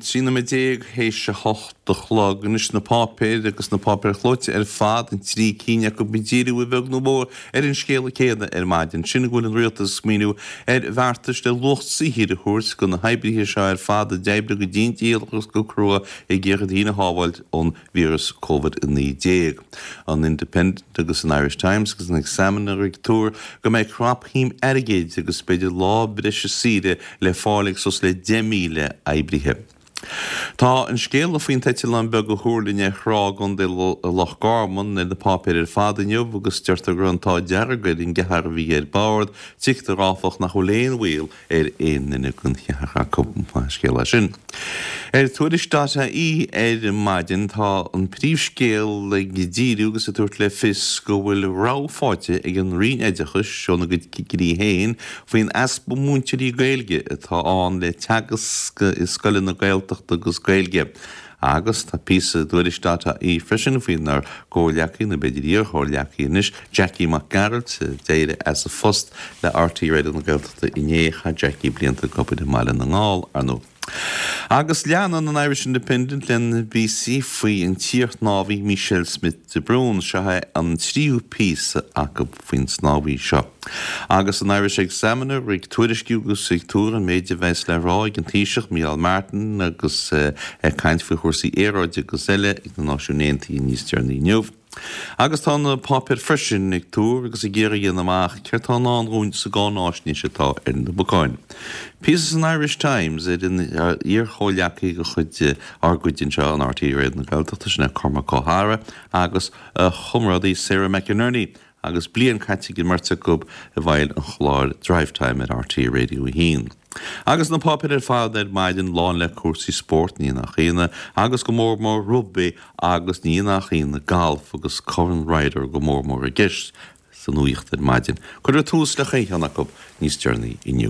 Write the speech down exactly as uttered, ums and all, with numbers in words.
Trí nóiméad déag théis a hocht a chlog anois na páipéir agus na páipéir chlóite ar fad, an trí cinn acu ag díriú a bheag nó a mhór ar an scéala céanna ar maidin, sin go bhfuil an rialtas ag smaoineamh ar bheartais le luach saothair a thabhairt do na hoibrithe seo ar fad a d'oibrigh go dian dícheallach agus go crua ag iarraidh daoine a shábháilt ón víreas Covid a naoi déag. An Independent agus an Irish Times agus an Examiner ag tuar go mbeidh crapshuim airgid agus b'fhéidir lá breise saoire le fáil ag suas le deich míle oibrithe. Tá an scéala faoin t-eitleán beag a thuirling ar thrá i gContae Loch Garman ar na páipéir ar fad inniu agus deirtear go raibh an t-ádh dearg ar an gceathrar a bhí ar bord. Tuigtear, áfach, nach bhfuil aon bhaol ar aon duine den cheathrar acu. Maith an scéal é sin. Ar Tuairisc dot ie ar maidin tá an príomhscéal ag díriú agus ag tabhairt le fios go bhfuil rabhadh faighte ag an Roinn Oideachais óna gcuid cigirí féin faoin easpa múinteoirí Gaeilge atá ann le teagasc i scoileanna Gaeltachta agus Gaeilge. Agus tá píosa i dTuairisc dot ie freisin faoinár gcomhghleacaí, nó b'fhéidir iar-chomhghleacaí anois, Jackie Mac Gearailt, a d'éirigh as a phost le R T É Raidió na Gaeltachta inné. Chaith Jackie blianta ag obair i mBaile na nGall, ar ndóigh. Agus leanann an Irish Independent lena bpíosaí faoi an t-iarshnámhaí Michelle Smith de Brún. Seo é an tríú píosa acu faoin snámhaí seo. Agus an Irish Examiner ag tuairisciú agus ag tuar an méid a bheas le rá ag an Taoiseach Micheál Martin agus é ag caint faoi chúrsaí aeráide agus eile ag na Náisiúin Aontaithe níos deireanaí inniu. Agus tá na páipéir freisin ag tuar agus ag iarraidh a dhéanamh amach céard tá i ndán dhúinn sa gcáináisnéis atá ar na bacáin. Píosa san Irish Times ar an iar-chomhghleacaí de chuid ár gcuid anseo in R T É Raidió na Gaeltachta, sin é Cormac Ó hEadhra agus a chomrádaí Sarah McInerney agus bliain caite ag an mbeirt acu i bhfeighil an chláir Drivetime ar R T É Radio a haon. Agus na páipéir ar fad ar maidin lán le cúrsaí spóirt, ní nach ionadh, agus go mór mór rugbaí agus ní nach ionadh galf agus Corn Ryder go mór mór i gceist sa nuacht ar maidin. Cuirfear tús le chaon cheann acu níos deireanaí inniu.